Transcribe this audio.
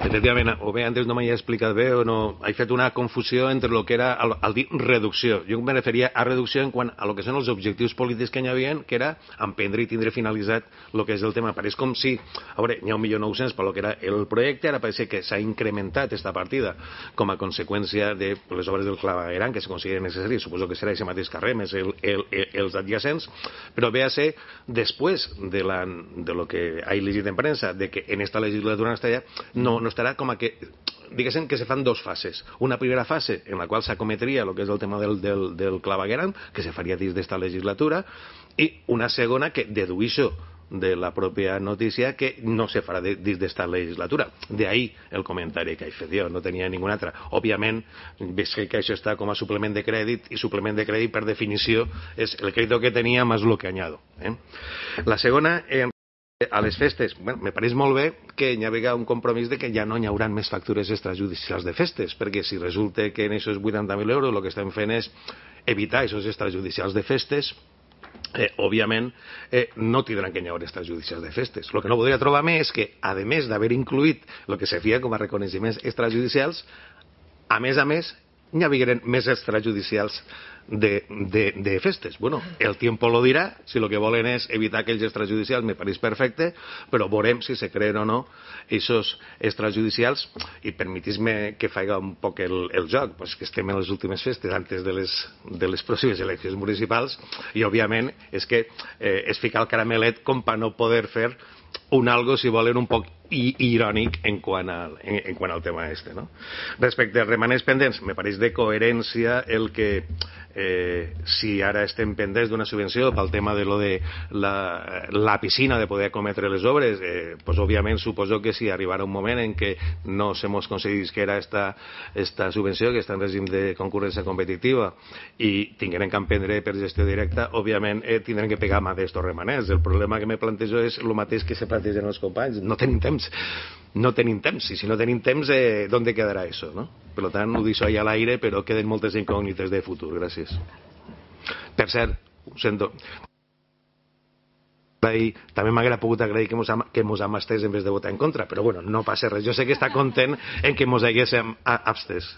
Efectivament, o bé antes no m'he explicat bé o no, he fet una confusió entre el que era el dir reducció. Jo me referia a reducció en quant a lo que són els objectius polítics que hi havia, que era emprendre i tindre finalitzat el que és el tema. Pareix com si, a veure, n'hi ha 1.900.000 per lo que era el projecte, ara pareix que s'ha incrementat esta partida com a conseqüència de les obres del clavegueram que se consideren necessàries, suposo que serà aquest mateix carrer més els adjacents, però ve a ser després de lo que he llegit en premsa, de que en esta legislatura no estarà com a que diguéssim que se fan dos fases. Una primera fase en la qual s'acometria el que és el tema del clavegueram, que se faria dins d'esta legislatura, i una segona que deduïxo de la pròpia notícia que no se farà dins d'esta legislatura. De ahí el comentari que he fet jo, no tenia ninguna altra. Òbviament, veig que això està com a suplement de crèdit, i suplement de crèdit, per definició, és el crèdit que tenia més lo que añado. La segona, a les festes, bueno, me pareix molt bé que hi hagi un compromís de que ja no hi haurà més factures extrajudicials de festes, perquè si resulta que en aquests 80.000 euros el que estem fent és evitar aquests extrajudicials de festes, òbviament no tindran que hi haver extrajudicials de festes. El que no podria trobar més és que, a més d'haver incluït el que se feia com a reconeixements extrajudicials, a més, hi hagueren més extrajudicials de festes. Bueno, el tiempo lo dirà. Si lo que volen és evitar aquells extrajudicials, me pareix perfecte, però veurem si se creen o no aquests extrajudicials. I permetís-me que faig un poc el joc, pues que estem en les últimes festes antes de les pròximes eleccions municipals, i òbviament és que es fica el caramelet com per no poder fer un algo, si volen, un poc irònic en quant al tema este, no? Respecte als remanents pendents, me pareix de coherència el que si ara estem pendents d'una subvenció pel tema de lo de la piscina, de poder cometre les obres, pues òbviament suposo que si arribarà un moment en què no se mos concedís que era esta subvenció, que està en règim de concurrència competitiva, i tingueren que emprendre per gestió directa, òbviament tindran que pegar mà d'estos remanents. El problema que me plantejo és el mateix que se plantegen els companys: no tenim temps, i si no tenim temps, d'on quedarà això, no? Per tant, ho deixo allà a l'aire, però queden moltes incògnites de futur. Gràcies. Per cert, ho sento, també m'haguera pogut agrair que mos hem abstès en vez de votar en contra, però bueno, no passa res. Jo sé que està content en que mos haguéssim abstès.